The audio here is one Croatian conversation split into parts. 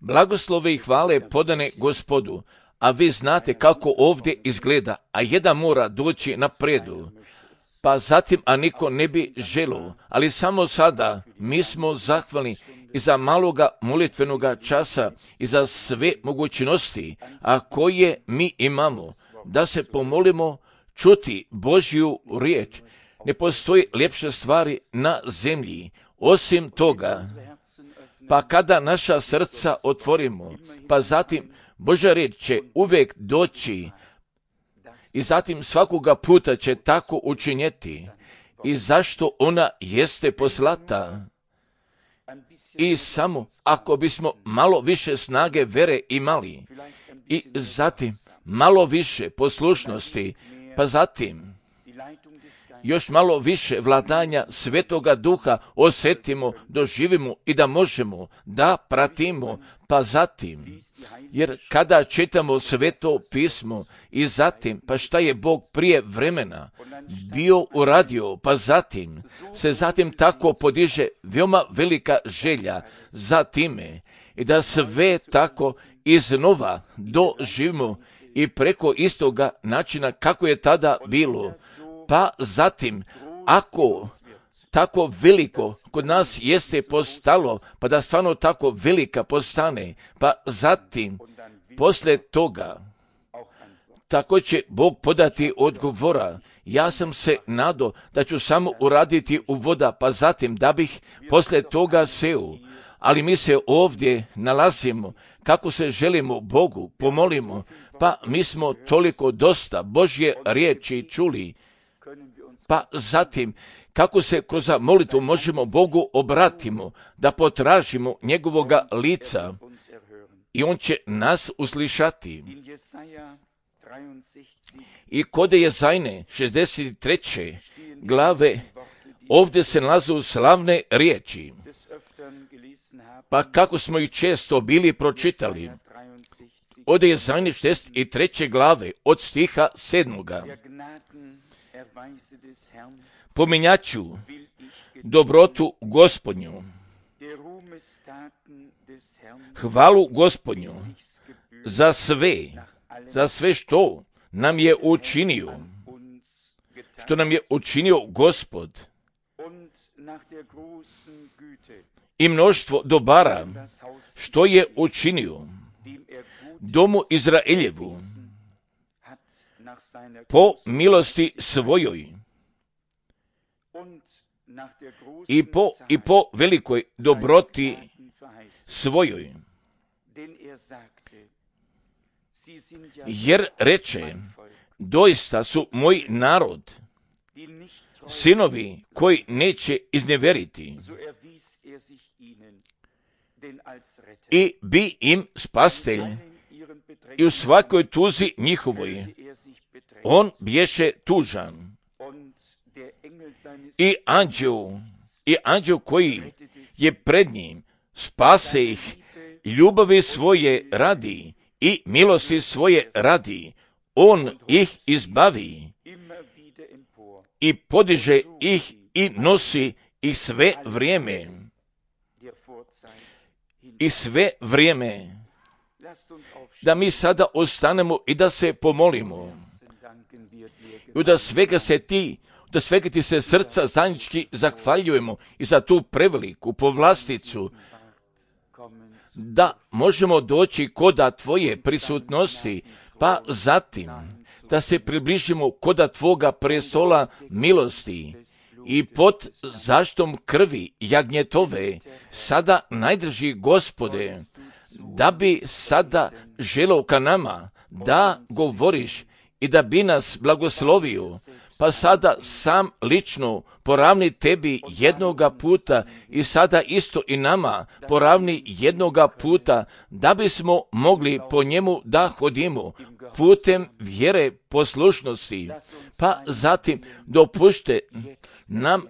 Blagoslove i hvale podane Gospodu, a vi znate kako ovdje izgleda, a jedan mora doći napredu. Pa zatim, a niko ne bi želio, ali samo sada mi smo zahvalni i za maloga molitvenoga časa i za sve mogućnosti, a koje mi imamo, da se pomolimo čuti Božju riječ. Ne postoji ljepše stvari na zemlji. Osim toga, pa kada naša srca otvorimo, pa zatim Božja riječ će uvijek doći i zatim svakoga puta će tako učinjeti. I zašto ona jeste poslata? I samo ako bismo malo više snage vere imali i zatim malo više poslušnosti, pa zatim još malo više vladanja Svetoga Duha osjetimo, doživimo i da možemo da pratimo, pa zatim, jer kada čitamo Sveto pismo i zatim, pa šta je Bog prije vremena bio uradio, pa zatim se zatim tako podiže veoma velika želja za time i da sve tako iznova doživimo i preko istoga načina kako je tada bilo. Pa zatim, ako tako veliko kod nas jeste postalo, pa da stvarno tako velika postane, pa zatim, poslije toga, tako će Bog podati odgovora. Ja sam se nadao da ću samo uraditi u voda, pa zatim da bih poslije toga seo. Ali mi se ovdje nalazimo, kako se želimo Bogu, pomolimo, pa mi smo toliko dosta Božje riječi čuli, pa zatim, kako se kroz molitvu možemo Bogu obratimo, da potražimo njegovoga lica i on će nas uslišati. I kod Jezajne 63. glave ovdje se nalazu slavne riječi, pa kako smo ih često bili pročitali. Od Jezajne 63. glave od stiha 7. Pominjaću dobrotu Gospodnju, hvalu Gospodnju za sve što nam je učinio Gospod i mnoštvo dobara što je učinio domu Izraeljevu po milosti svojoj i po velikoj dobroti svojoj. Jer reče, doista su moj narod, sinovi koji neće izneveriti, i bi im spastelj, i u svakoj tuzi njihovoj on bješe tužan. I anđeo koji je pred njim spase ih ljubavi svoje radi i milosti svoje radi, on ih izbavi i podiže ih i nosi ih sve vrijeme. Da mi sada ostanemo i da se pomolimo. I da svega ti se srca zajednički zahvaljujemo i za tu preveliku povlasticu, da možemo doći koda tvoje prisutnosti, pa zatim da se približimo koda tvoga prestola milosti i pod zaštom krvi jagnjetove, sada najdrži Gospode, da bi sada želeo ka nama da govoriš i da bi nas blagoslovio, pa sada sam lično poravni tebi jednoga puta i sada isto i nama poravni jednoga puta, da bismo mogli po njemu da hodimo putem vjere poslušnosti. Pa zatim dopušte nam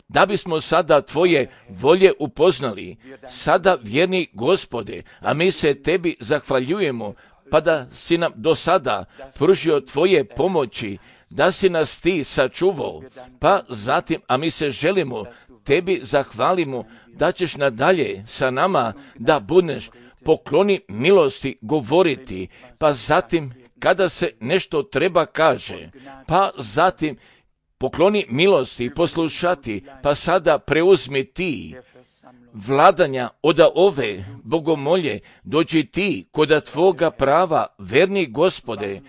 da bismo sada tvoje volje upoznali, sada vjerni Gospode, a mi se tebi zahvaljujemo, pa da si nam do sada pružio tvoje pomoći, da si nas ti sačuvao, pa zatim, a mi se želimo tebi zahvalimo da ćeš nadalje sa nama da budeš, pokloni milosti govoriti, pa zatim kada se nešto treba kaže, pa zatim pokloni milosti poslušati, pa sada preuzmi ti vladanja od ove bogomolje, dođi ti koda tvoga prava, verni Gospode,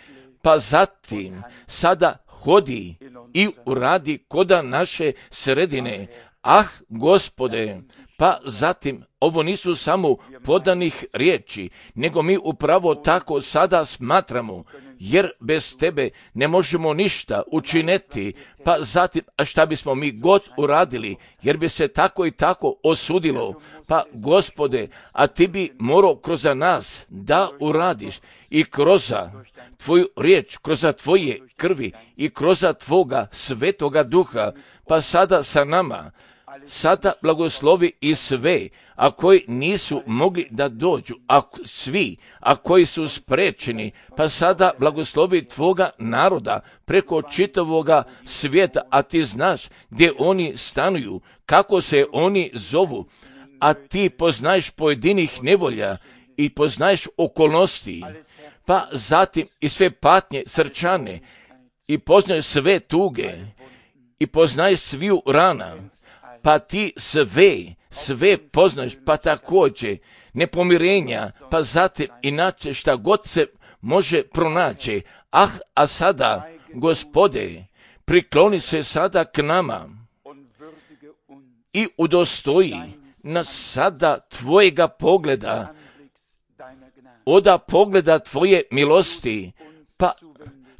pa zatim sada hodi i uradi koda naše sredine. Ah, Gospode, pa zatim ovo nisu samo podanih riječi, nego mi upravo tako sada smatramo, jer bez tebe ne možemo ništa učiniti, pa zatim, a šta bismo mi god uradili, jer bi se tako i tako osudilo, pa Gospode, a ti bi morao kroz nas da uradiš i kroz tvoju riječ, kroz tvoje krvi i kroz tvoga svetoga duha, pa sada sa nama, sada blagoslovi i sve, a koji nisu mogli da dođu, a koji su sprečeni, pa sada blagoslovi tvoga naroda preko čitavoga svijeta, a ti znaš gdje oni stanuju, kako se oni zovu, a ti poznaješ pojedinih nevolja i poznaješ okolnosti, pa zatim i sve patnje srčane i poznaješ sve tuge i poznaješ sviju rana, pa ti sve poznaš, pa također nepomirenja, pa zatim inače šta god se može pronaći. Ah, a sada, Gospode, prikloni se sada k nama i udostoji nas sada tvojega pogleda, oda pogleda tvoje milosti, pa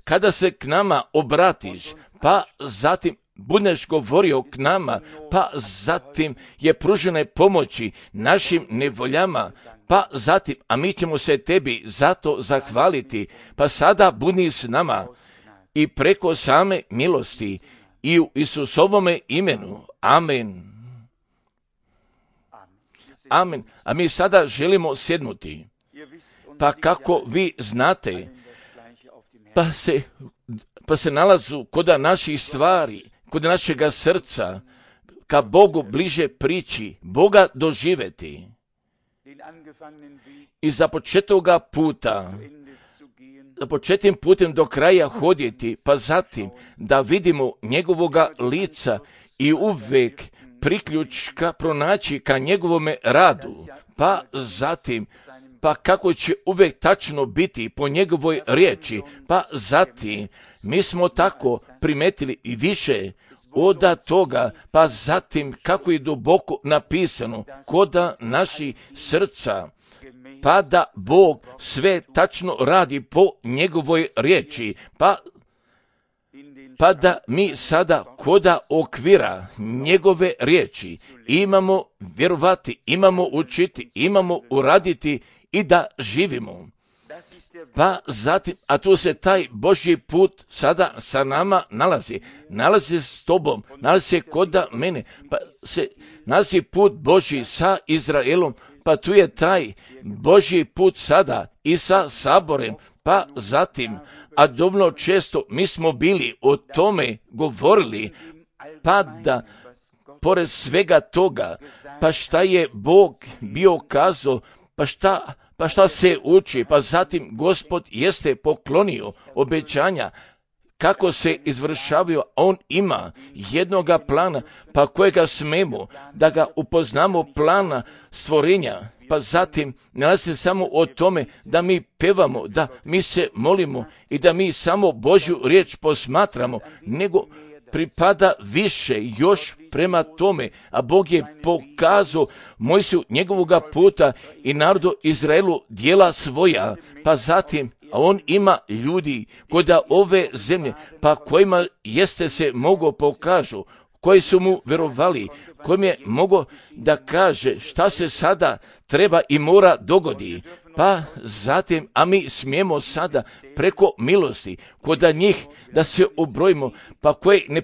kada se k nama obratiš, pa zatim budeš govorio k nama, pa zatim je pružene pomoći našim nevoljama, pa zatim, a mi ćemo se tebi zato zahvaliti, pa sada budi s nama i preko same milosti i u Isusovome imenu. Amen. Amen. A mi sada želimo sjednuti, pa kako vi znate, pa se nalazu kod naših stvari, kod našega srca, ka Bogu bliže prići, Boga doživeti i započetoga puta, započetim putem do kraja hoditi, pa zatim da vidimo njegovoga lica i uvek priključka pronaći ka njegovome radu, pa zatim pa kako će uvek tačno biti po njegovoj riječi, pa zatim mi smo tako primetili i više od toga, pa zatim kako je duboko napisano koda naših srca, pa da Bog sve tačno radi po njegovoj riječi, pa da mi sada koda okvira njegove riječi imamo vjerovati, imamo učiti, imamo uraditi i da živimo. Pa zatim, a tu se taj Božji put sada sa nama nalazi s tobom, nalazi se koda mene, pa se nalazi put Božji sa Izraelom, pa tu je taj Božji put sada i sa saborem, pa zatim, a dovoljno često mi smo bili o tome govorili, pa da pored svega toga, pa šta je Bog bio kazao, pa šta se uči, pa zatim Gospod jeste poklonio obećanja, kako se izvršavaju, on ima jednoga plana, pa kojega smemo da ga upoznamo plana stvorenja, pa zatim nalazi se samo o tome da mi pevamo, da mi se molimo i da mi samo Božju riječ posmatramo, nego pripada više još prema tome, a Bog je pokazao Mojsiju njegovoga puta i narodu Izraelu djela svoja, pa zatim a on ima ljudi kod ove zemlje, pa kojima jeste se mogo pokažu, koji su mu vjerovali, kojim je mogo da kaže šta se sada treba i mora dogodi, pa zatim, a mi smijemo sada preko milosti kod njih da se ubrojimo, pa koji ne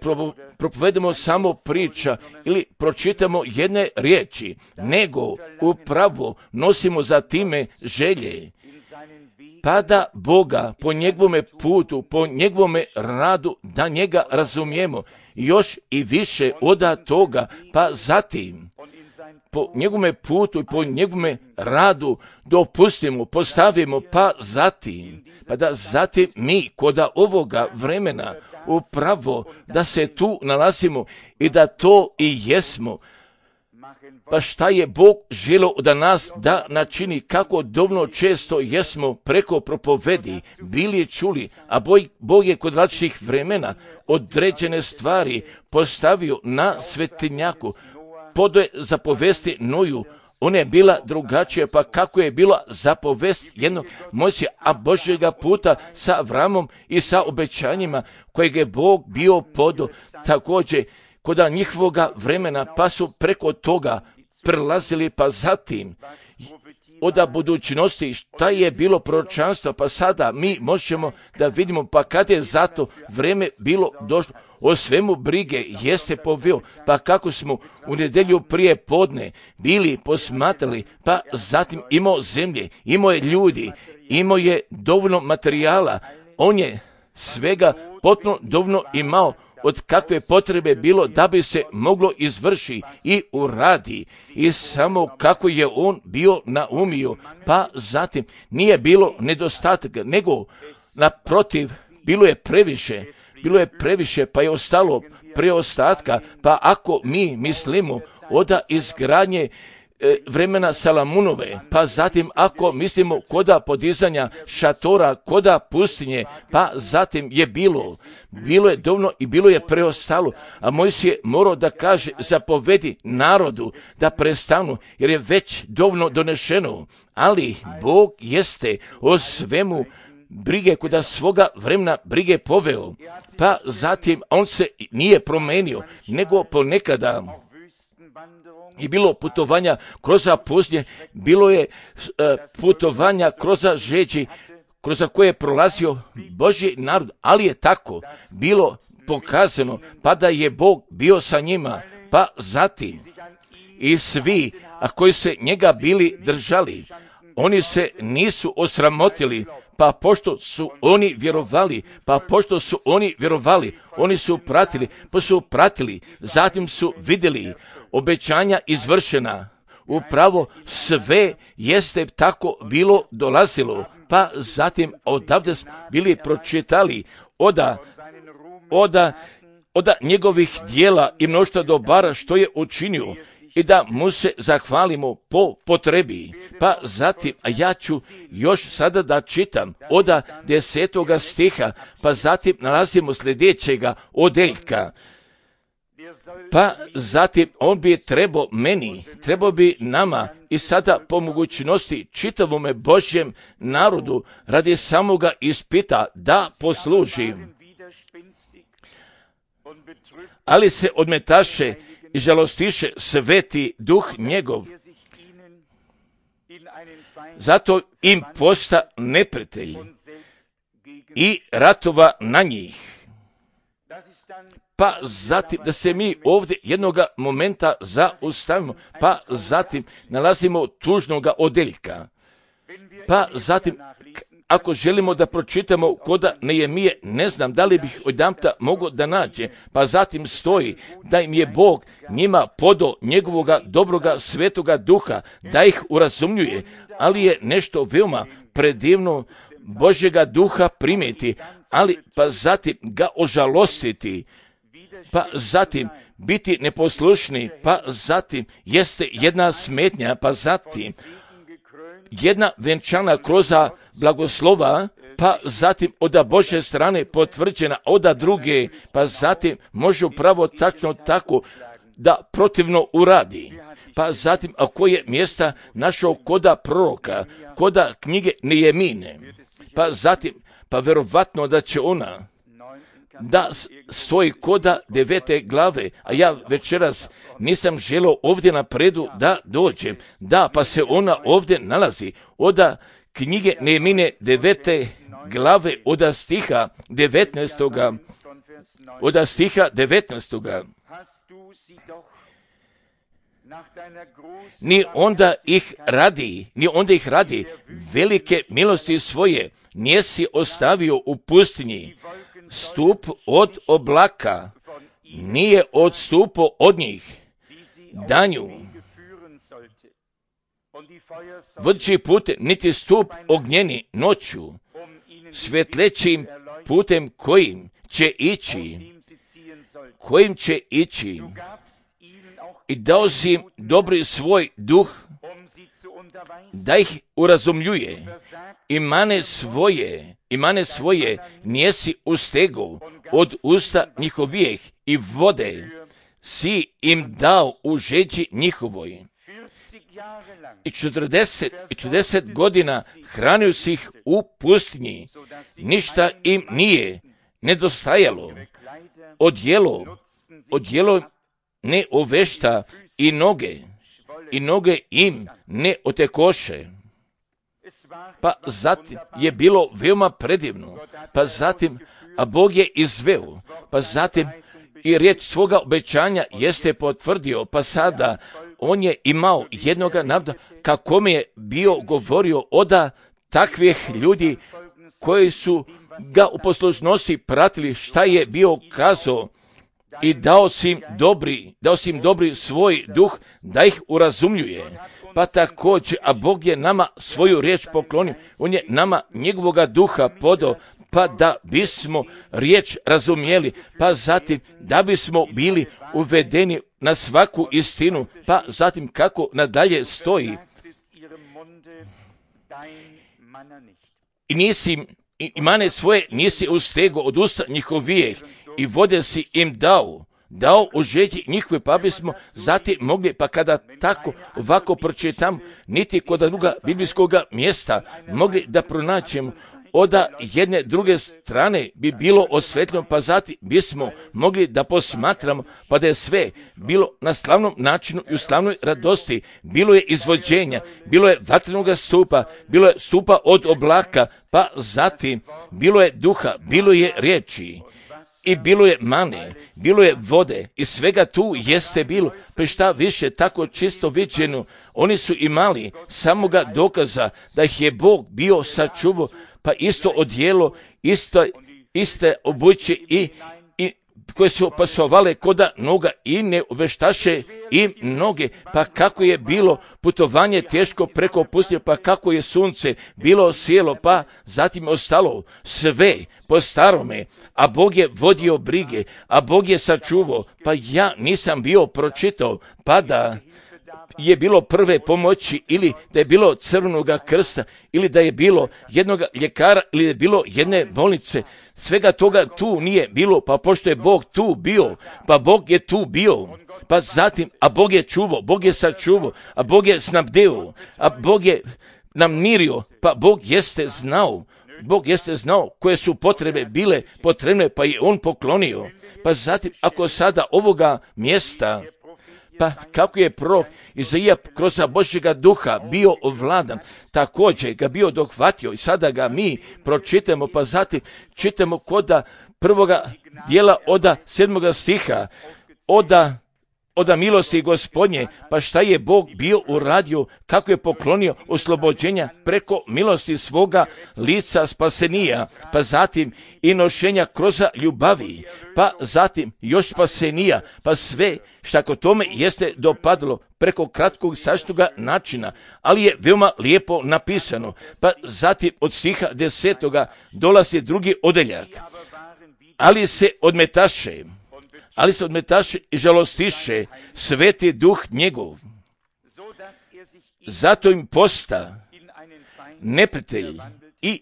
propovedemo samo priča ili pročitamo jedne riječi, nego upravo nosimo za time želje, pa da Boga po njegovome putu, po njegovome radu, da njega razumijemo još i više od toga, pa zatim, po njegovome putu i po njegovome radu dopustimo, postavimo, pa da zatim mi koda ovoga vremena upravo da se tu nalazimo i da to i jesmo. Pa šta je Bog želio da nas da načini, kako dovoljno često jesmo preko propovedi bili čuli, a Bog je kod različitih vremena određene stvari postavio na svetinjaku. Podo zapovesti Noju, ona je bila drugačija, pa kako je bila zapovest jednog Mojsija, a Božjega puta sa Avramom i sa obećanjima kojeg je Bog bio podo također kod njihovoga vremena, pa su preko toga prelazili, pa zatim od budućnosti šta je bilo proročanstvo, pa sada mi možemo da vidimo, pa kad je zato vreme bilo došlo, o svemu brige jeste poveo, pa kako smo u nedjelju prije podne bili posmatrali, pa zatim imao zemlje, imao je ljudi, imao je dovoljno materijala, on je svega potpuno dovoljno imao od kakve potrebe bilo da bi se moglo izvrši i uradi, i samo kako je on bio naumio, pa zatim nije bilo nedostataka, nego naprotiv bilo je previše, pa je ostalo preostatka, pa ako mi mislimo od izgradnje vremena Salamunove, pa zatim ako mislimo koda podizanja šatora, koda pustinje, pa zatim je bilo je dovoljno i bilo je preostalo, a Mojsije je morao da kaže, zapovedi narodu da prestanu, jer je već dovoljno donešeno, ali Bog jeste o svemu brige koda svoga vremena brige poveo, pa zatim on se nije promenio, nego ponekada i bilo putovanja kroz pustinje, bilo je putovanja kroz žeđi, kroz koje je prolazio Božji narod, ali je tako bilo pokazano, pa da je Bog bio sa njima, pa zatim i svi, a koji se njega bili držali, oni se nisu osramotili, pa pošto su oni vjerovali, oni su pratili, zatim su vidjeli obećanja izvršena. Upravo sve jeste tako bilo dolazilo, pa zatim odavde smo bili pročitali od njegovih dijela i mnoštva dobara što je učinio, i da mu se zahvalimo po potrebi. Pa zatim, a ja ću još sada da čitam od 10. stiha, pa zatim nalazimo sljedećega odeljka. Pa zatim on bi trebao bi nama i sada po mogućnosti čitavome Božjem narodu radi samoga ispita da posluži. Ali se odmetaše i žalostiše sveti duh njegov. Zato im posta neprijatelj i ratova na njih. Pa zatim da se mi ovdje jednoga momenta zaustavimo, pa zatim nalazimo tužnoga odeljka. Pa zatim ako želimo da pročitamo koda Nehemije, ne znam da li bih odjedanput mogao da nađe, pa zatim stoji da im je Bog njima podao njegovoga dobroga svetoga duha, da ih urazumljuje, ali je nešto veoma predivno Božjega duha primiti, ali pa zatim ga ožalostiti, pa zatim biti neposlušni, pa zatim jeste jedna smetnja, pa zatim jedna venčana kroz blagoslova, pa zatim od Božje strane potvrđena od druge, pa zatim može upravo tačno tako da protivno uradi. Pa zatim ako je mjesta našao koda proroka, koda knjige Nehemine, pa zatim, pa verovatno da će ona da stoji koda 9. glave, a ja večeras nisam želio ovdje napredu da dođem. Da, pa se ona ovdje nalazi od knjige Nehemine 9. glave od stiha 19. Od stiha 19. Ni onda ih radi velike milosti svoje, njesi ostavio u pustinji. Stup od oblaka nije odstupao od njih danju, vodeći putem, niti stup ognjeni noću, svetlećim putem kojim će ići, i dao si im dobri svoj duh, da ih urazumljuje, i mane svoje nijesi ustegu od usta njihovijeh, i vode si im dao u žeđi njihovoj. I 40 godina hranio si ih u pustinji, ništa im nije nedostajalo, odjelo ne ovešta, i noge im ne otekoše. Pa zatim je bilo veoma predivno, pa zatim, a Bog je izveo, pa zatim i riječ svoga obećanja jeste potvrdio, pa sada on je imao jednoga naroda kako mi je bio govorio oda takvih ljudi koji su ga u poslušnosti pratili šta je bio kazao, i dao si im dobri svoj duh da ih urazumljuje. Pa također, a Bog je nama svoju riječ poklonio, on je nama njegovoga duha podao, pa da bismo riječ razumjeli, pa zatim da bismo bili uvedeni na svaku istinu, pa zatim kako nadalje stoji. I mane svoje nisi ustego od usta njihovijeh, i vode si im dao u žeđi njihove, pa bismo zatim mogli, pa kada tako ovako pročitam, niti kod druga biblijskoga mjesta mogli da pronaćemo od jedne druge strane bi bilo osvetljeno, pa zatim bismo mogli da posmatramo, pa da je sve bilo na slavnom načinu i u slavnoj radosti. Bilo je izvođenja, bilo je vatrenog stupa, bilo je stupa od oblaka, pa zatim bilo je duha, bilo je riječi, i bilo je mane, bilo je vode, i svega tu jeste bilo, pa šta više tako čisto viđeno. Oni su imali samoga dokaza da ih je Bog bio sačuvao, pa isto odjelo, iste obuće i koje su pasovale koda noga, i ne uveštaše im noge, pa kako je bilo putovanje teško preko pustinje, pa kako je sunce bilo sjelo, pa zatim ostalo sve po starome, a Bog je vodio brige, a Bog je sačuvao. Pa ja nisam bio pročitao, pa da je bilo prve pomoći, ili da je bilo Crvenoga krsta, ili da je bilo jednog ljekara, ili da je bilo jedne bolnice. Svega toga tu nije bilo, pa pošto je Bog tu bio, pa Bog je tu bio, pa zatim, a Bog je čuvao, Bog je sačuvao, a Bog je snabdeo, a Bog je nam mirio, pa Bog jeste znao koje su potrebe bile potrebne, pa je on poklonio. Pa zatim, ako sada ovoga mjesta, pa kako je prorok Izaija kroz Božjega duha bio ovladan, također ga bio dohvatio, i sada ga mi pročitamo, pa zatim čitamo koda prvoga dijela od 7. stiha, oda milosti Gospodnje, pa šta je Bog bio uradio, kako je poklonio oslobođenja preko milosti svoga lica spasenija, pa zatim i nošenja kroz ljubavi, pa zatim još spasenija, pa sve šta kod tome jeste dopadlo preko kratkog saštoga načina, ali je veoma lijepo napisano. Pa zatim od stiha 10. dolazi drugi odeljak, ali se odmetaše i žalostiše sveti duh njegov. Zato im posta neprijatelj i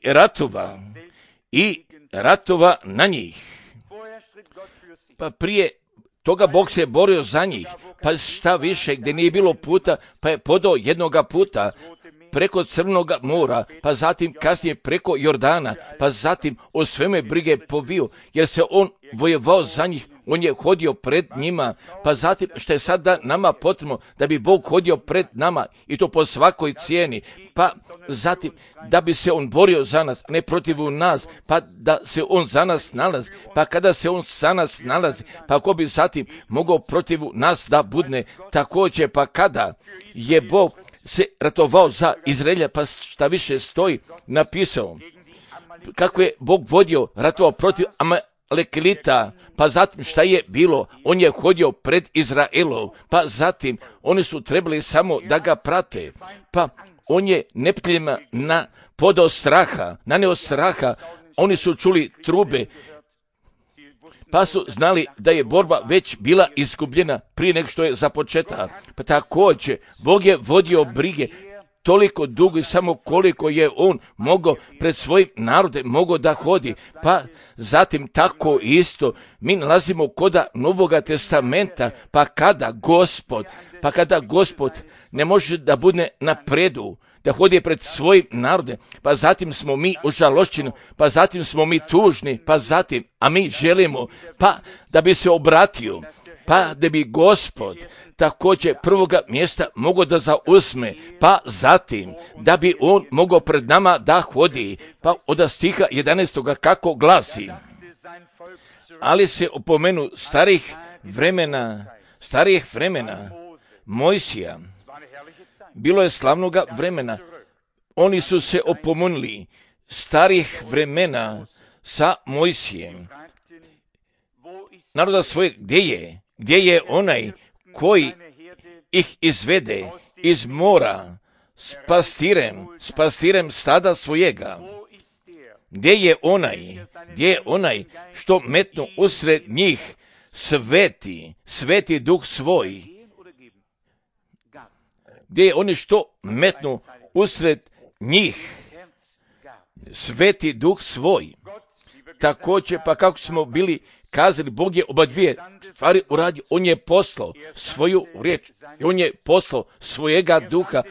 ratova na njih. Pa prije toga Bog se borio za njih, pa šta više, gdje nije bilo puta, pa je podao jednoga puta preko Crvenog mora, pa zatim kasnije preko Jordana, pa zatim o sveme brige povio, jer se on vojevao za njih, on je hodio pred njima, pa zatim što je sada nama potrebno, da bi Bog hodio pred nama, i to po svakoj cijeni, pa zatim da bi se on borio za nas, ne protiv nas, pa da se on za nas nalazi, pa kada se on za nas nalazi, pa ko bi zatim mogao protiv nas da budne također, pa kada je Bog se ratovao za Izraelja, pa šta više stoji napisao, kako je Bog vodio, ratovao protiv Amalekita, pa zatim šta je bilo, on je hodio pred Izraelom, pa zatim oni su trebali samo da ga prate, pa on je neprijateljima podao straha, naneo straha, oni su čuli trube, pa su znali da je borba već bila izgubljena prije nego što je započeta. Pa također, Bog je vodio brige toliko dugo i samo koliko je on mogao pred svojim narodom mogao da hodi. Pa zatim tako isto mi nalazimo koda Novoga testamenta, pa kada Gospod ne može da bude na predu, da hodi pred svojim narodom, pa zatim smo mi užalošćeni, pa zatim smo mi tužni, pa zatim, a mi želimo, pa da bi se obratio, pa da bi Gospod također prvoga mjesta mogao da zauzme, pa zatim da bi on mogao pred nama da hodi, pa od stiha 11. kako glasi. Ali se opomenu starih vremena Mojsija, bilo je slavnoga vremena, oni su se opomenuli starih vremena sa Mojsijem, naroda svoje, gdje je onaj koji ih izvede iz mora s pastirem stada svojega, gdje je onaj što metnu usred njih sveti duh svoj, gdje je oni što metnu usred njih sveti duh svoj. Također, pa kako smo bili kazali, Bog je oba dvije stvari uradio, on je poslao svoju riječ, on je poslao svojega duha,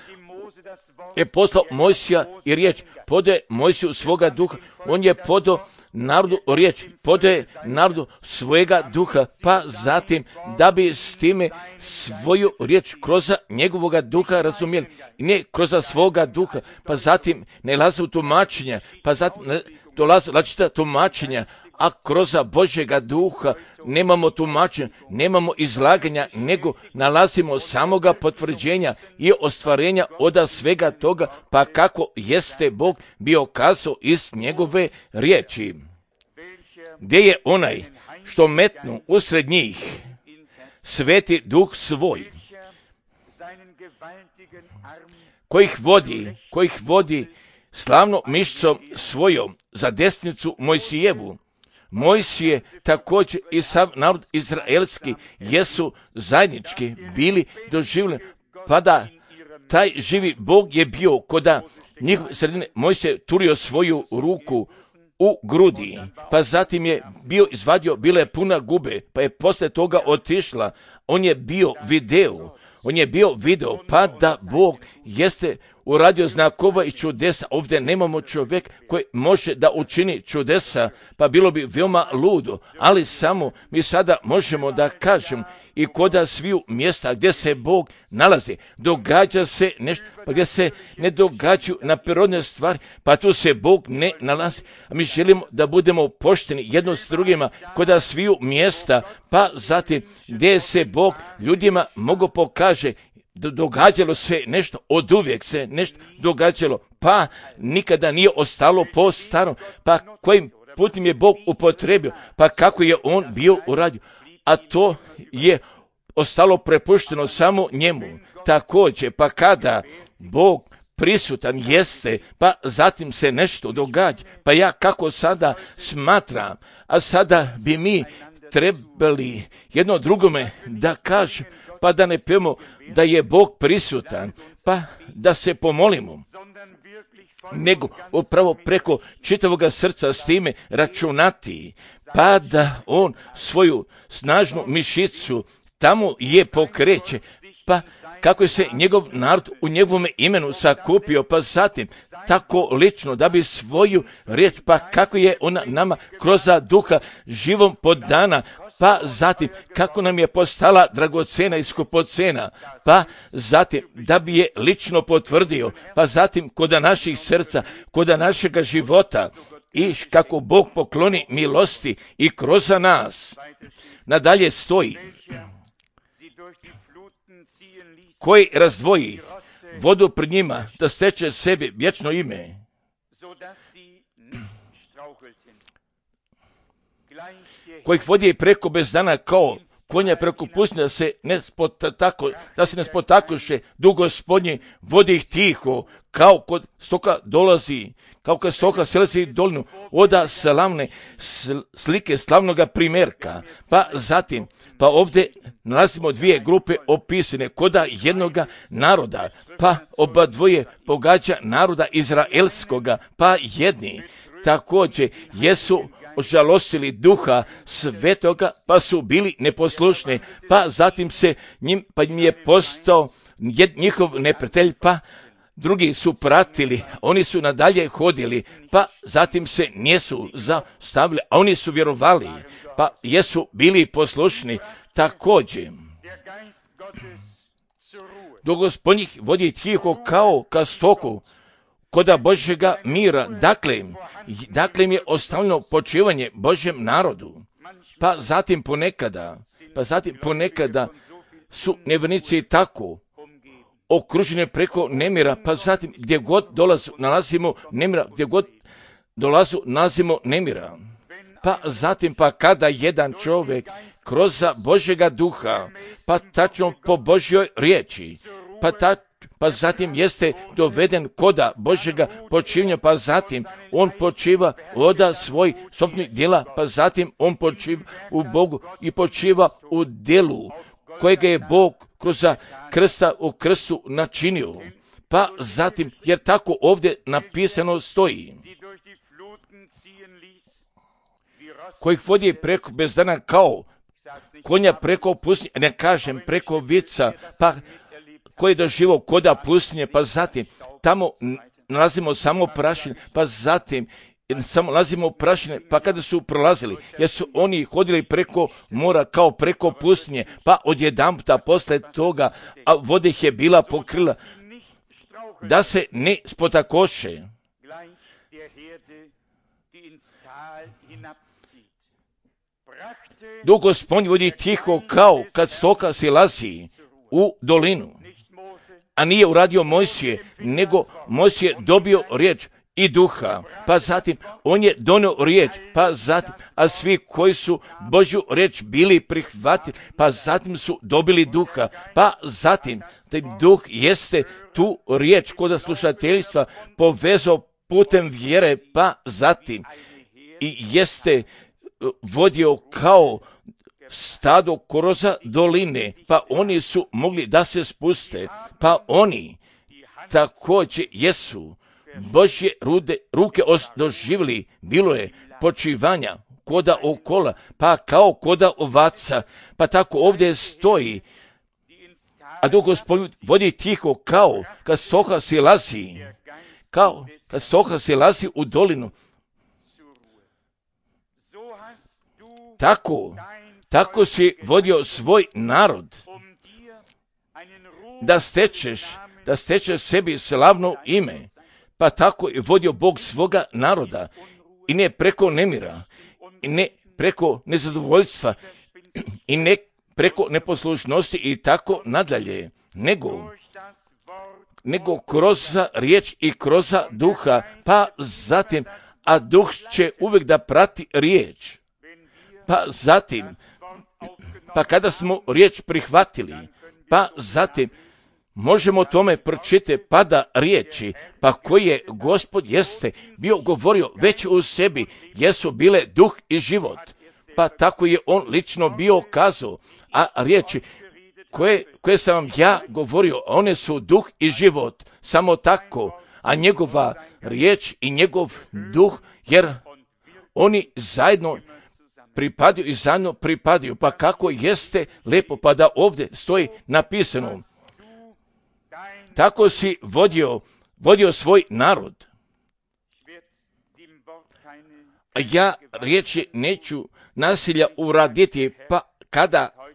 je poslao Mojsija i riječ, podaje Mojsiju svoga duha, on je podao narodu riječ, podaje narodu svojega duha, pa zatim da bi s time svoju riječ kroz njegovoga duha razumjeli, ne kroz svoga duha, pa zatim ne laze u tumačenja, pa zatim dolaze različita tumačenja, a kroz Božjega duha nemamo tumačenja, nemamo izlaganja, nego nalazimo samoga potvrđenja i ostvarenja od svega toga, pa kako jeste Bog bio kazao iz njegove riječi. Gdje je onaj što metnu usred njih sveti duh svoj, kojih vodi slavno mišicom svojom za desnicu Mojsijevu. Mojsije također i sav narod izraelski jesu zajednički bili doživljeni, pa da taj živi Bog je bio koda njihove sredine. Mojsije turio svoju ruku u grudi, pa zatim je bio izvadio, bila je puna gube, pa je posle toga otišla, on je bio video, pa da Bog jeste uradio znakova i čudesa. Ovdje nemamo čovjek koji može da učini čudesa, pa bilo bi veoma ludo, ali samo mi sada možemo da kažem i koda sviju mjesta gdje se Bog nalazi, događa se nešto, pa gdje se ne događaju na prirodne stvari, pa tu se Bog ne nalazi. A mi želimo da budemo pošteni jedno s drugima koda sviju mjesta, pa zatim gdje se Bog ljudima mogu pokaže, događalo se nešto, oduvijek se nešto događalo, pa nikada nije ostalo po starom, pa kojim putem je Bog upotrebio, pa kako je on bio uradio, a to je ostalo prepušteno samo njemu. Također, pa kada Bog prisutan jeste, pa zatim se nešto događa, pa ja kako sada smatram, a sada bi mi trebali jedno drugome da kažem, pa da ne pijemo da je Bog prisutan, pa da se pomolimo, nego upravo preko čitavoga srca s time računati, pa da on svoju snažnu mišicu tamo je pokreće, pa kako je se njegov narod u njegovome imenu sakupio, pa zatim tako lično da bi svoju riječ, pa kako je ona nama kroz duha živom podana, pa zatim kako nam je postala dragocena i skupocena, pa zatim da bi je lično potvrdio, pa zatim koda naših srca, koda našega života i kako Bog pokloni milosti i kroz nas. Nadalje stoji, koji razdvoji vodu pred njima da steče sebi vječno ime. kojih vodi preko bezdana kao konja preko pustinje, da se ne spotakuše, Duh Gospodnji vodi ih tiho, kao kod stoka dolazi, kao kad stoka selazi dolinu, oda slavne slike slavnoga primjerka. Pa zatim, pa ovdje nalazimo dvije grupe opisane koda jednoga naroda, pa oba dvoje pogađa naroda izraelskoga, pa jedni također jesu ožalostili Duha Svetoga, pa su bili neposlušni, pa zatim im je postao njihov neprijatelj, pa drugi su pratili, oni su nadalje hodili, pa zatim se nisu zastavili, a oni su vjerovali, pa jesu bili poslušni također. Duh Gospodnji vodi tiho kao ka stoku, koda Božjega mira, dakle im je ostavljeno počivanje Božjem narodu. Pa zatim ponekada su nevjernici tako okruženi preko nemira, pa zatim gdje god nalazimo nemira. Pa zatim kada jedan čovjek kroz Božjega duha, pa tačno po Božjoj riječi, pa zatim jeste doveden koda Božjega počivanja, pa zatim on počiva oda svoj sobstvenih djela, pa zatim on počiva u Bogu i počiva u djelu kojega je Bog kroz krsta u krstu načinio. Pa zatim, jer tako ovdje napisano stoji, kojih vodi preko bezdana kao konja preko pustinje, ne kažem preko vica, pa koji je doživio koda pustinje, pa zatim tamo nalazimo samo prašine, pa zatim samo nalazimo prašine, pa kada su prolazili, jer su oni hodili preko mora kao preko pustinje, pa odjedanputa posle toga, a voda ih je bila pokrila, da se ne spotakoše. Duh Gospodnji vodi tiho kao kad stoka silazi u dolinu. A nije uradio Mojsije, nego Mojsije dobio riječ i duha, pa zatim on je donio riječ, pa zatim, a svi koji su Božju riječ bili prihvatili, pa zatim su dobili duha, pa zatim taj duh jeste tu riječ kod slušateljstva povezao putem vjere, pa zatim i jeste vodio kao stado kroz doline, pa oni su mogli da se spuste, pa oni također jesu Božje ruke doživjeli, bilo je počivanja koda okola, pa kao koda ovaca, pa tako ovdje stoji, a Duh Gospodnji vodi tiho kao kad stoka silazi u dolinu. Tako si vodio svoj narod, da stečeš sebi slavno ime, pa tako je vodio Bog svoga naroda, i ne preko nemira, i ne preko nezadovoljstva, i ne preko neposlušnosti i tako nadalje, nego kroz riječ i kroz duha, pa zatim, a duh će uvijek da prati riječ. Pa zatim, pa kada smo riječ prihvatili, pa zatim možemo tome pročitati pada riječi, pa koji je Gospod jeste bio govorio već u sebi, jesu bile duh i život. Pa tako je on lično bio kazao, a riječi koje sam vam ja govorio, one su duh i život, samo tako, a njegova riječ i njegov duh, jer oni zajedno pripadaju, pa kako jeste lepo, pa da ovdje stoji napisano, tako si vodio svoj narod. A ja riječi neću nasilja uraditi, pa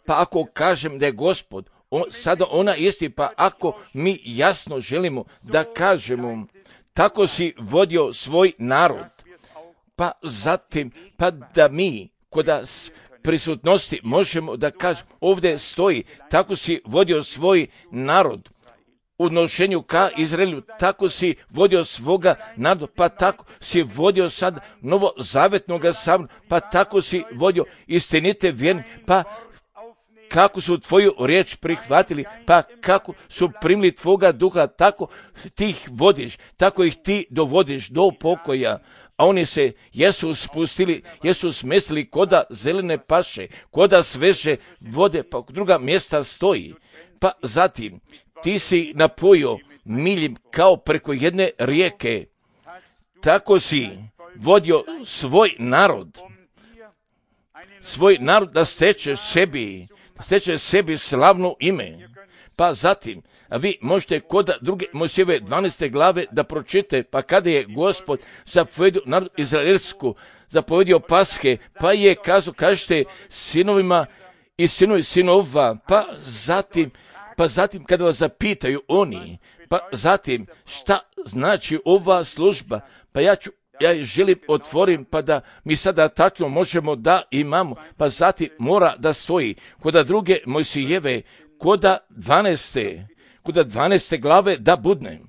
ako kažem da je Gospod, sada ona isti, pa ako mi jasno želimo da kažemo, tako si vodio svoj narod, pa zatim, pa da mi kod prisutnosti možemo da kažemo, ovdje stoji, tako si vodio svoj narod u nošenju ka Izraelu, tako si vodio svoga naroda, pa tako si vodio sad novozavetnoga sabora, pa tako si vodio istinite vjerne, pa kako su tvoju riječ prihvatili, pa kako su primili tvoga duha, tako ti ih vodiš, tako ih ti dovodiš do pokoja. A oni se jesu spustili, jesu smestili koda zelene paše, koda sveže vode, pa druga mjesta stoji. Pa zatim ti si napojio miljem kao preko jedne rijeke, tako si vodio svoj narod da steče sebi slavno ime. Pa zatim, a vi možete kod druge Mojsijeve 12. glave da pročitate, pa kada je Gospod zapovedio narod izraelsku, zapovedio Paske, pa je kazao, kažete sinovima i sinova, pa zatim kada vas zapitaju oni, pa zatim šta znači ova služba, pa ja želim otvorim, pa da mi sada tačno možemo da imamo, pa zatim mora da stoji koda druge Mojsijeve, koda 12. glave da budne.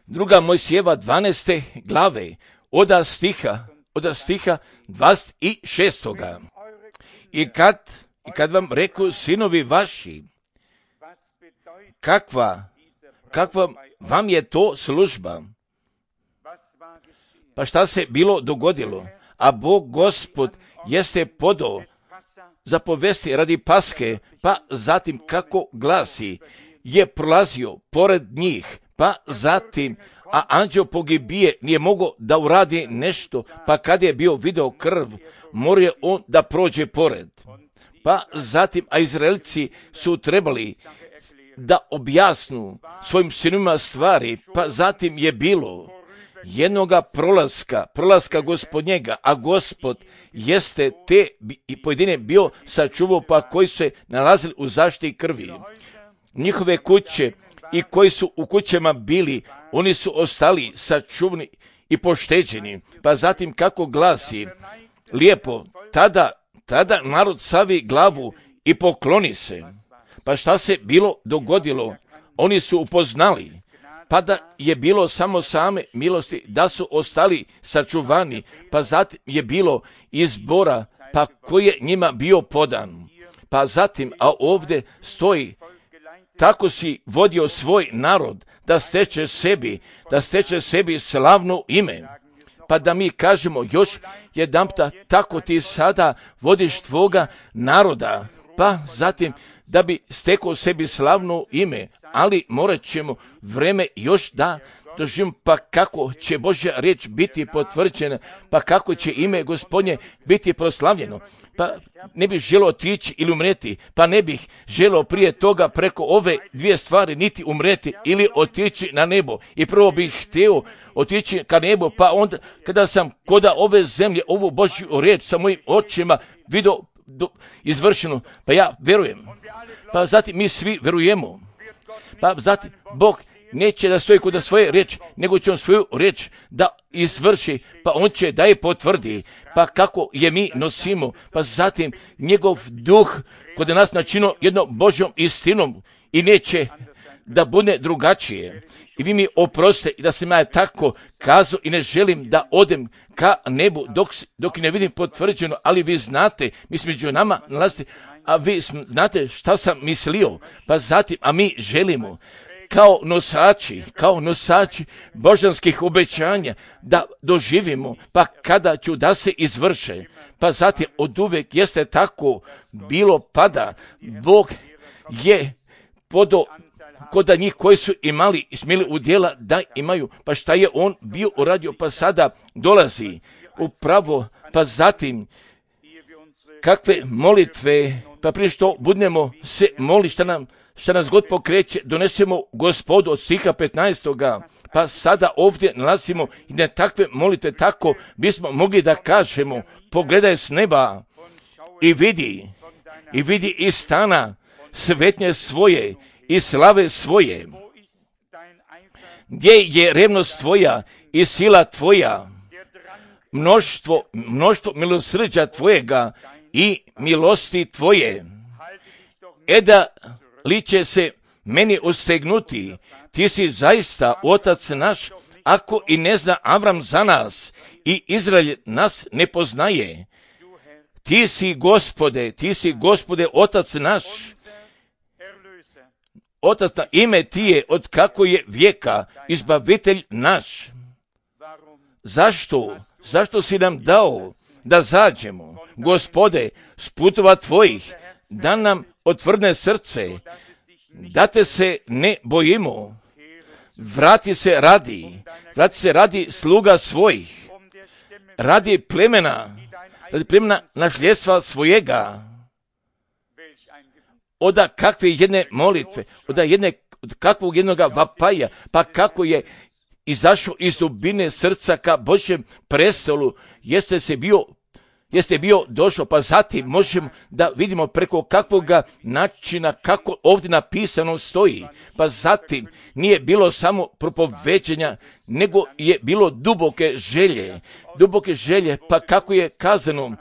Druga Mojsijeva 12. glave, oda stiha 26. I kad vam reku sinovi vaši, kakva vam je to služba? Pa šta se bilo dogodilo? A Bog Gospod jeste podao zapovesti radi Paske, pa zatim kako glasi, je prolazio pored njih, pa zatim, a anđeo pogibije nije mogao da uradi nešto, pa kad je bio video krv, morao on da prođe pored. Pa zatim, a Izraelci su trebali da objasnu svojim sinovima stvari, pa zatim je bilo jednoga prolaska Gospodnjega, a Gospod jeste te i pojedine bio sačuvao, pa koji se nalazili u zaštiti krvi. Njihove kuće i koji su u kućama bili, oni su ostali sačuvani i pošteđeni. Pa zatim kako glasi, lijepo, tada narod savi glavu i pokloni se. Pa šta se bilo dogodilo? Oni su upoznali, pa da je bilo samo same milosti, da su ostali sačuvani, pa zatim je bilo izbora, pa koji je njima bio podan. Pa zatim, a ovdje stoji, tako si vodio svoj narod da steče sebi slavno ime. Pa da mi kažemo još jedanputa, tako ti sada vodiš tvoga naroda, pa zatim da bi stekao sebi slavno ime, ali morat ćemo vreme još da doživimo, pa kako će Božja riječ biti potvrđena, pa kako će ime Gospodnje biti proslavljeno. Pa ne bih želio otići ili umreti, pa ne bih želio prije toga preko ove dvije stvari niti umreti ili otići na nebo. I prvo bih htio otići ka nebu, pa onda kada sam koda ove zemlje, ovu Božju riječ sa mojim očima vidio izvršeno, pa ja verujem. Pa zatim mi svi verujemo. Pa zatim Bog neće da stoji kod svoje riječi, nego će on svoju riječ da izvrši, pa on će da je potvrdi. Pa kako je mi nosimo, pa zatim njegov duh kod nas načinio jednom Božjom istinom i neće da bude drugačije. I vi mi oprostite i da sam ja tako kazao i ne želim da odem ka nebu dok ne vidim potvrđeno, ali vi znate, mi smo među nama nalazite, a vi znate šta sam mislio, pa zatim, a mi želimo kao nosači božanskih obećanja da doživimo, pa kada ću da se izvrše, pa zatim od uvek jeste tako bilo, pada Bog je podao kod njih koji su imali i smjeli udjela da imaju, pa šta je on bio uradio, pa sada dolazi upravo, pa zatim kakve molitve, pa prije što budemo se moli šta nas god pokreće, donesemo Gospodu od stiha 15. Pa sada ovdje nalazimo i na takve molitve, tako bismo mogli da kažemo, pogledaj s neba i vidi iz stana svetnje svoje i slave svoje. Gdje je revnost tvoja i sila tvoja, mnoštvo milosrđa tvojega i milosti tvoje. Eda li će se meni ostegnuti, ti si zaista otac naš, ako i ne zna Avram za nas i Izrael nas ne poznaje. Ti si Gospode, otac naš, otac na ime ti je od kako je vijeka, izbavitelj naš. Zašto si nam dao da zađemo, Gospode, s putova tvojih, da nam otvrne srce, da te se ne bojimo. Vrati se radi sluga svojih, radi plemena nasljedstva svojega. Oda kakve jedne molitve, od kakvog jednoga vapaja, pa kako je izašao iz dubine srca ka Božjem prestolu, jeste bio došao, pa zatim možemo da vidimo preko kakvoga načina, kako ovdje napisano stoji, pa zatim nije bilo samo propoveđenja, nego je bilo duboke želje, pa kako je kazano,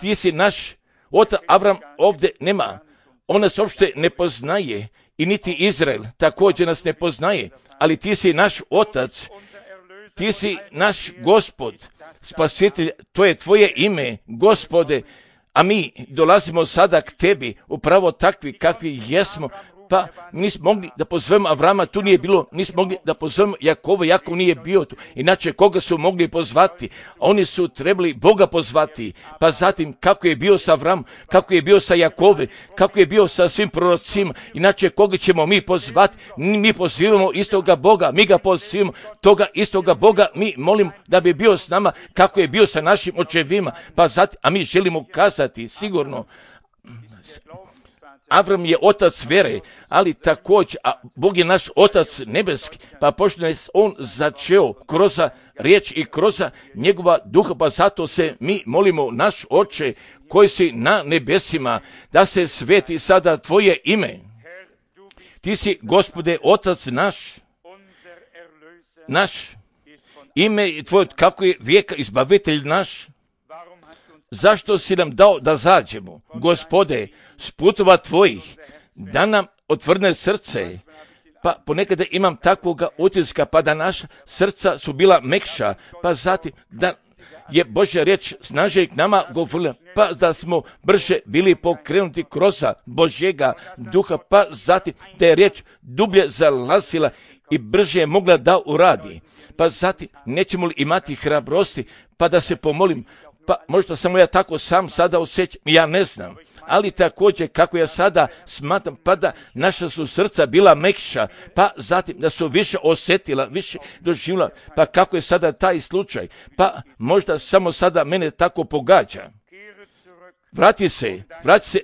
ti si naš otac. Avram ovdje nema, on nas uopšte ne poznaje, i niti Izrael također nas ne poznaje, ali ti si naš otac, ti si naš Gospod, spasitelj, to je tvoje ime, Gospode, a mi dolazimo sada k tebi, upravo takvi kakvi jesmo. Pa nismo mogli da pozovemo Avrama, tu nije bilo, nismo mogli da pozovemo Jakova, Jakov nije bio tu, inače koga su mogli pozvati? Oni su trebali Boga pozvati, pa zatim kako je bio sa Avramom, kako je bio sa Jakove, kako je bio sa svim prorocima, inače koga ćemo mi pozvati? Mi pozivamo istoga Boga, mi ga pozivamo, toga istoga Boga mi molimo da bi bio s nama, kako je bio sa našim očevima, pa zatim, a mi želimo kazati sigurno, Avram je otac vere, ali također, a Bog je naš otac nebeski, pa pošto je on začeo kroz riječ i kroz njegova duha, pa zato se mi molimo, naš Oče koji si na nebesima, da se sveti sada tvoje ime. Ti si, Gospode, otac naš, ime je tvoj, kako je vijeka, izbavitelj naš. Zašto si nam dao da zađemo, Gospode, s putova tvojih, da nam otvrne srce? Pa ponekada imam takvoga utiska, pa da naša srca su bila mekša, pa zatim da je Božja riječ snažnije k nama govorila, pa da smo brže bili pokrenuti kroz Božjega duha, pa zatim da je riječ dublje zalazila i brže je mogla da uradi. Pa zatim nećemo li imati hrabrosti, pa da se pomolim, pa možda samo ja tako sam sada osjećam, ja ne znam, ali također kako ja sada smatram, pa da naša su srca bila mekša, pa zatim da su više osjetila, više doživjela, pa kako je sada taj slučaj, pa možda samo sada mene tako pogađa. Vrati se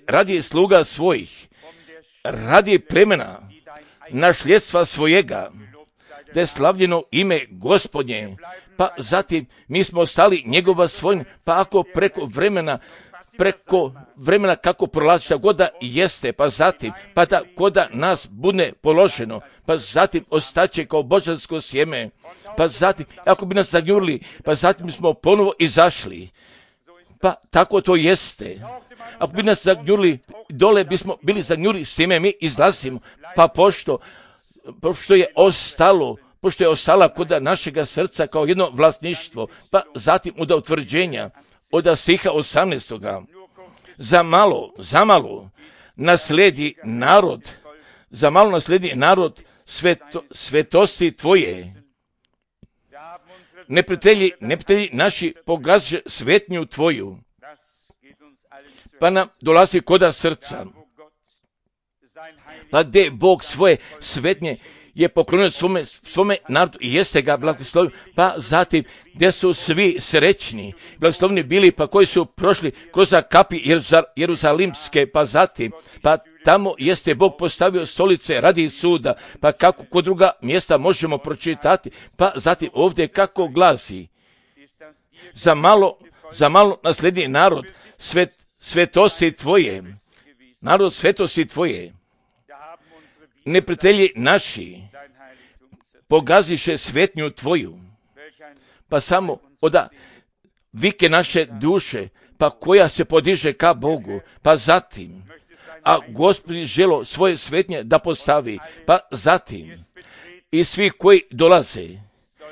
radi sluga svojih, radi plemena nasljedstva svojega, da je slavljeno ime Gospodnje, pa zatim mi smo ostali njegova svojina, pa ako preko vremena kako prolazi šta god da jeste, pa zatim, pa da koda nas bude položeno, pa zatim ostaće kao božansko sjeme, pa zatim, ako bi nas zagnjurili, pa zatim smo ponovo izašli, pa tako to jeste. Ako bi nas zagnjurili, dole bismo bili zagnjurili, s time mi izlazimo, pa pošto je ostala kod našega srca kao jedno vlasništvo, pa zatim od utvrđenja, od stiha 18. Za malo nasledi narod svetosti tvoje. Neprijatelji naši pogaže svetnju tvoju, pa nam dolazi koda srca. Pa gdje Bog svoje svetnje je poklonio svome narodu i jeste ga blagoslovio, pa zatim gdje su svi srećni, blagoslovni bili, pa koji su prošli kroz kapi jeruzalimske, pa zatim, pa tamo jeste Bog postavio stolice radi suda, pa kako kod druga mjesta možemo pročitati, pa zatim ovdje kako glasi, za malo nasledi narod svetosti tvoje, narod svetosti tvoje. Neprijatelji naši pogaziše svetnju tvoju, pa samo oda vike naše duše, pa koja se podiže ka Bogu, pa zatim a Gospod želo svoje svetnje da postavi, pa zatim i svi koji dolaze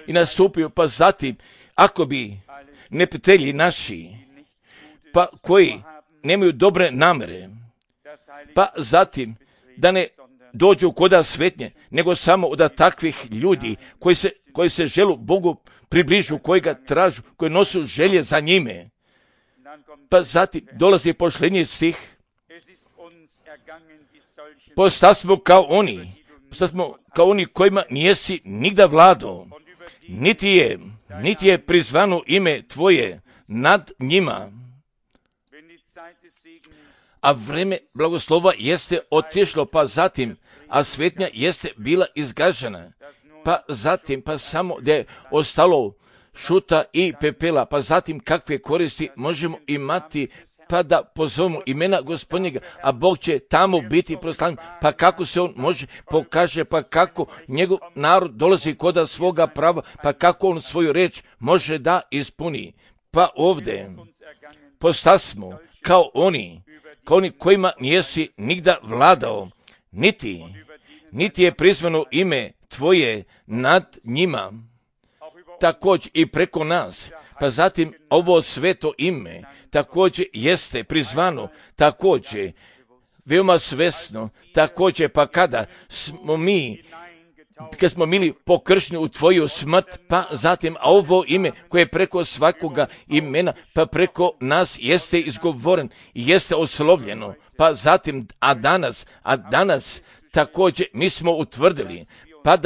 i nastupaju, pa zatim ako bi neprijatelji naši, pa koji nemaju dobre namere, pa zatim da ne dođu koda svetnje, nego samo od takvih ljudi koji se želu Bogu približu, koji ga tražu, koji nosu želje za njime. Pa zatim dolazi posljednji stih. Postasmo kao oni kojima nijesi nigda vlado, niti je prizvano ime tvoje nad njima. A vreme blagoslova jeste otišlo, pa zatim, a svetnja jeste bila izgažena, pa zatim, pa samo da je ostalo šuta i pepela, pa zatim kakve koristi možemo imati, pa da pozovemo imena Gospodnjega, a Bog će tamo biti proslavljen, pa kako se on može pokaže, pa kako njegov narod dolazi koda svoga prava, pa kako on svoju reč može da ispuni. Pa ovdje postasmo kao oni kojima nijesi nigda vladao, niti je prizvano ime tvoje nad njima, također i preko nas. Pa zatim ovo sveto ime također jeste prizvano, također veoma svesno, također pa kada smo bili pokršteni u tvoju smrt, pa zatim, a ovo ime koje je preko svakoga imena, pa preko nas jeste izgovoren i jeste oslovljeno, pa zatim, a danas također mi smo utvrdili, pa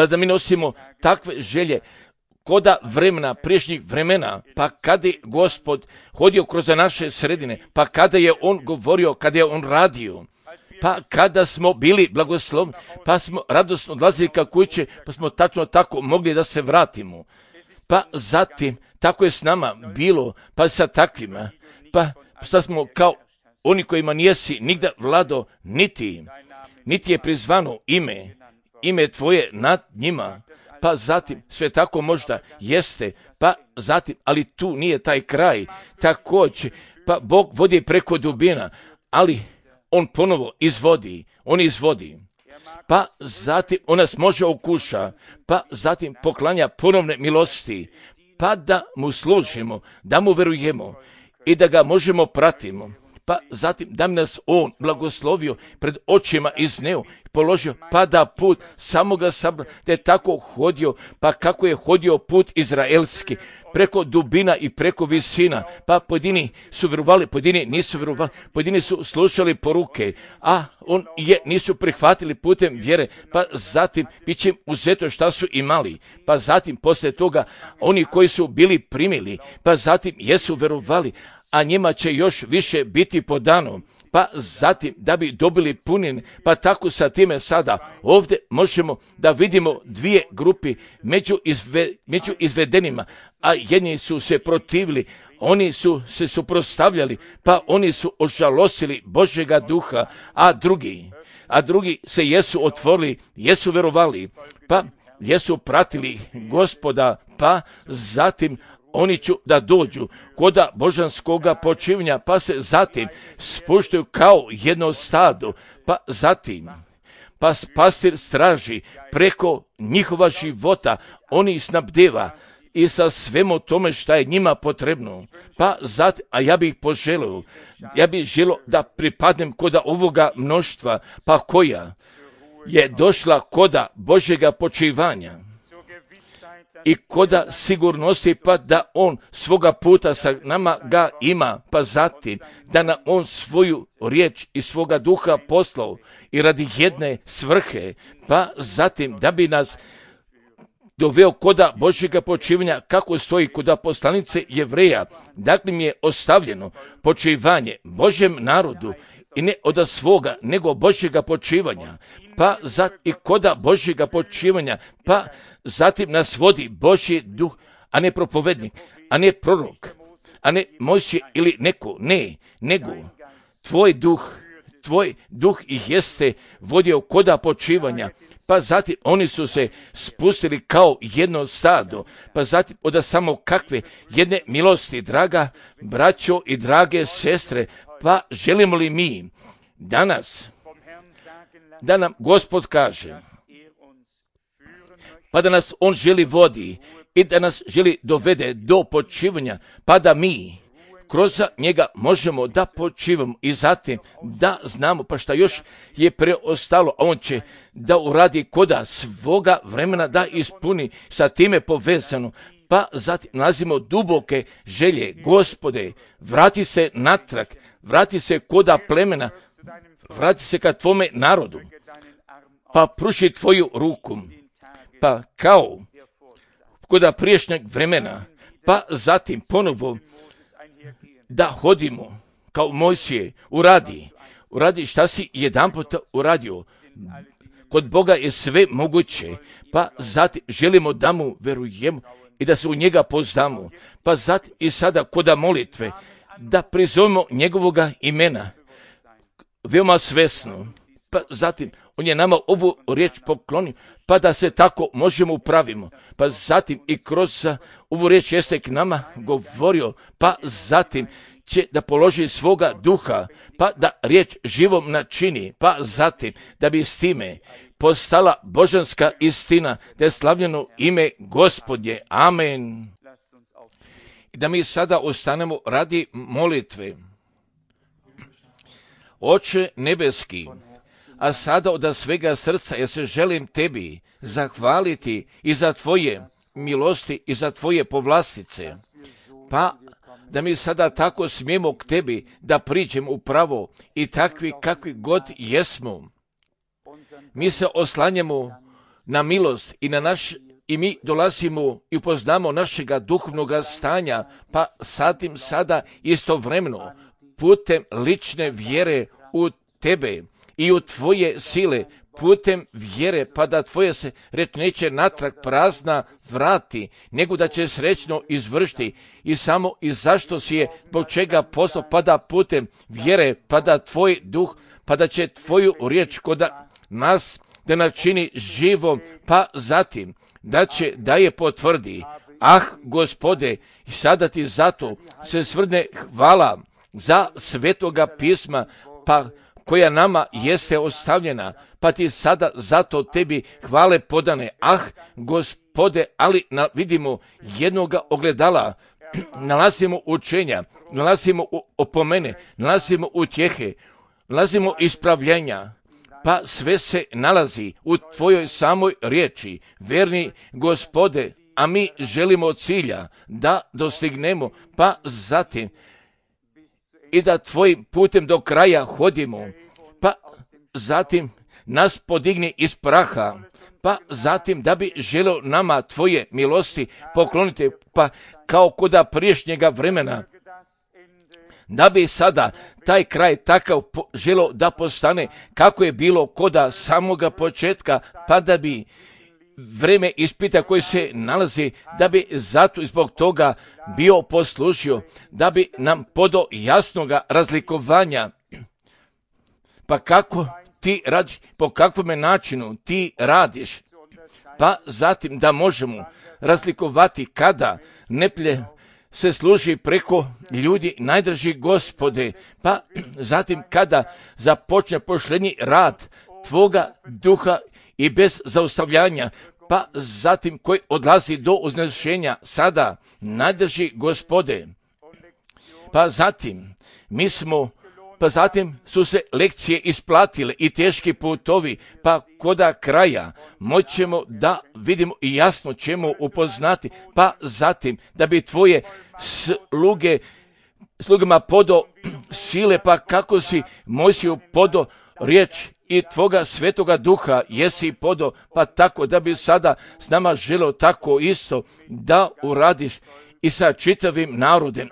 da mi nosimo takve želje koda vremena, priješnjih vremena, pa kada je Gospod hodio kroz naše sredine, pa kada je on govorio, kada je on radio, pa kada smo bili blagoslovni, pa smo radosno odlazili ka kuće, pa smo tačno tako mogli da se vratimo. Pa zatim, tako je s nama bilo, pa sa takvima, pa sad smo kao oni kojima nijesi nigda vlado, niti je prizvano ime tvoje nad njima. Pa zatim, sve tako možda jeste, pa zatim, ali tu nije taj kraj, također, pa Bog vodi preko dubina, ali on ponovo izvodi, pa zatim on nas može okuša, pa zatim poklanja ponovne milosti, pa da mu služimo, da mu verujemo i da ga možemo pratimo. Pa zatim da mi nas on blagoslovio, pred očima izneo, položio, pa da put samoga sabra, da je tako hodio, pa kako je hodio put izraelski, preko dubina i preko visina, pa pojedini su vjerovali, pojedini nisu vjerovali, pojedini su slušali poruke, a nisu prihvatili putem vjere, pa zatim bit će uzeto šta su imali, pa zatim poslije toga oni koji su bili primili, pa zatim jesu vjerovali, a njima će još više biti podano, pa zatim da bi dobili punine, pa tako sa time sada ovdje možemo da vidimo dvije grupi među izvedenima, a jedni su se protivili, oni su se suprotstavljali, pa oni su ožalosili Božjega duha, a drugi se jesu otvorili, jesu vjerovali, pa jesu pratili Gospoda, pa zatim oni ću da dođu koda božanskoga počivanja, pa se zatim spuštaju kao jedno stado, pa zatim, pa pastir straži preko njihova života, oni snabdeva i sa svemu tome šta je njima potrebno. Pa zatim, a ja bih želio da pripadnem koda ovoga mnoštva, pa koja je došla koda Božjega počivanja i koda sigurnosti, pa da on svoga puta sa nama ga ima, pa zatim da nam on svoju riječ i svoga duha poslao i radi jedne svrhe, pa zatim da bi nas doveo koda Božjega počivanja, kako stoji koda poslanice Jevreja, dakle mi je ostavljeno počivanje Božjem narodu i ne od svoga, nego Božjega počivanja, pa i koda Božjega počivanja, pa zatim nas vodi Božji duh, a ne propovednik, a ne prorok, a ne Mojsije ili neko, nego tvoj duh ih jeste vodio koda počivanja, pa zatim oni su se spustili kao jedno stado, pa zatim od samo kakve jedne milosti, draga braćo i drage sestre, Pa želimo li mi danas da nam Gospod kaže, pa da nas On želi vodi i da nas želi dovede do počivanja, pa da mi kroz njega možemo da počivamo i zatim da znamo pa šta još je preostalo, a On će da uradi koda svoga vremena da ispuni sa time povezano. Pa zatim nalazimo duboke želje, Gospode, vrati se natrag, vrati se koda plemena, vrati se ka tvome narodu, pa pruži tvoju ruku, pa kao koda priješnjeg vremena, pa zatim ponovo da hodimo kao Mojsije, uradi šta si jedanput uradio. Kod Boga je sve moguće, pa zatim želimo da mu verujemo i da se u njega poznamo, pa zatim i sada koda molitve da prizovemo njegovoga imena veoma svesno, pa zatim On je nama ovu riječ poklonio, pa da se tako možemo upravimo, pa zatim i kroz ovu riječ jeste k nama govorio, pa zatim će da položi svoga duha, pa da riječ živom načini, pa zatim da bi s time postala božanska istina, da je slavljeno ime Gospodnje. Amen. I da mi sada ostanemo radi molitve. Oče nebeski, a sada od svega srca ja se želim tebi zahvaliti i za tvoje milosti i za tvoje povlastice, pa da mi sada tako smijemo k tebi da priđemo upravo i takvi kakvi god jesmo. Mi se oslanjamo na milost i na i mi dolazimo i upoznamo našega duhovnog stanja, pa zatim sada istovremeno putem lične vjere u tebe i u tvoje sile, putem vjere, pa da tvoje se reč neće natrag prazna vrati, nego da će srećno izvršiti i samo i zašto si je, zbog čega poslao, pa da putem vjere, pa da tvoj duh, pa da će tvoju riječ koda nas da načini živom, pa zatim da je potvrdi. Gospode, i sada ti zato se svrne hvala za svetoga pisma, pa koja nama jeste ostavljena, pa ti sada zato tebi hvale podane. Gospode, ali vidimo jednoga ogledala, nalazimo učenja, nalazimo opomene, nalazimo utjehe, nalazimo ispravljenja, pa sve se nalazi u tvojoj samoj riječi. Verni Gospode, a mi želimo cilja da dostignemo, pa zatim i da tvojim putem do kraja hodimo, pa zatim nas podigni iz praha, pa zatim da bi želio nama tvoje milosti pokloniti, pa kao koda priješnjega vremena, da bi sada taj kraj takav želio da postane kako je bilo koda samoga početka, pa da bi vreme ispita koje se nalazi, da bi zato i zbog toga bio poslužio, da bi nam podao jasnoga razlikovanja, pa kako ti radiš, po kakvom načinu ti radiš, pa zatim da možemo razlikovati kada neplje se služi preko ljudi, najdraži Gospode, pa zatim kada započne pošlenji rad tvoga duha i bez zaustavljanja, pa zatim koji odlazi do uznešenja sada, najdraži Gospode, pa zatim su se lekcije isplatile i teški putovi, pa koda kraja moćemo da vidimo i jasno ćemo upoznati, pa zatim da bi tvoje slugama podo sile, pa kako si Mojsiju podo riječ i tvoga svetoga duha jesi podo, pa tako da bi sada s nama želio tako isto da uradiš i sa čitavim narodem,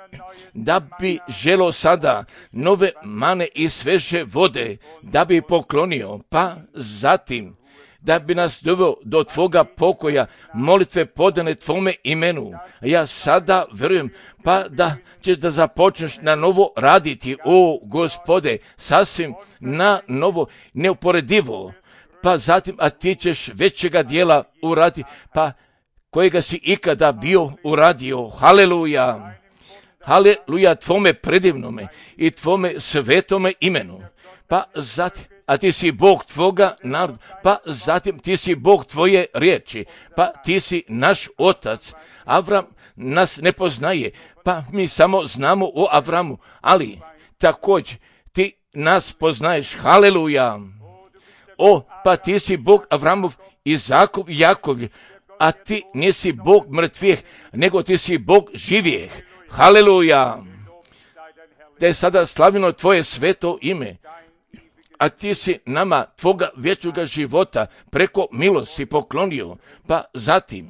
da bi želio sada nove mane i sveže vode, da bi poklonio, pa zatim da bi nas doveo do tvoga pokoja, molitve podane tvome imenu. Ja sada verujem, pa da ćeš da započneš na novo raditi, o Gospode, sasvim na novo, neuporedivo, pa zatim, a ti ćeš većega dijela uraditi, pa kojega si ikada bio uradio. Haleluja! Haleluja tvome predivnome i tvome svetome imenu. Pa zatim, a ti si Bog tvoga naroda, pa zatim ti si Bog tvoje riječi, pa ti si naš otac. Avram nas ne poznaje, pa mi samo znamo o Avramu, ali također ti nas poznaješ. Haleluja. Pa ti si Bog Avramov, Izakov i Jakov, a ti nisi Bog mrtvih, nego ti si Bog živih. Haleluja. Da je sada slavljeno tvoje sveto ime, a ti si nama tvoga vječnoga života preko milosti poklonio. Pa zatim,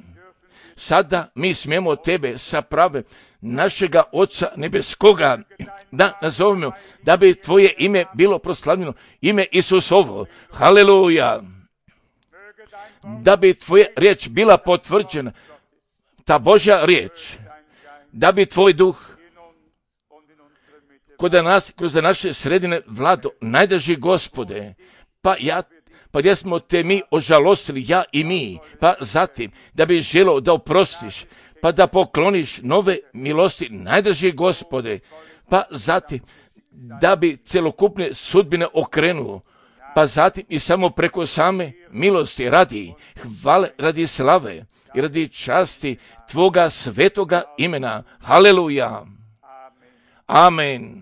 sada mi smijemo tebe sa prave našega Oca nebeskoga da nazovemo, da bi tvoje ime bilo proslavljeno, ime Isusovo. Haleluja. Da bi tvoja riječ bila potvrđena, ta Božja riječ, da bi tvoj duh kroz naše sredine vlado, najdraži Gospode, pa gdje smo te mi ožalostili, ja i mi, pa zatim da bi želio da oprostiš, pa da pokloniš nove milosti, najdraži Gospode, pa zatim da bi celokupne sudbine okrenuo, pa zatim i samo preko same milosti radi hvale, radi slave i radi časti tvoga svetoga imena. Haleluja. Amen.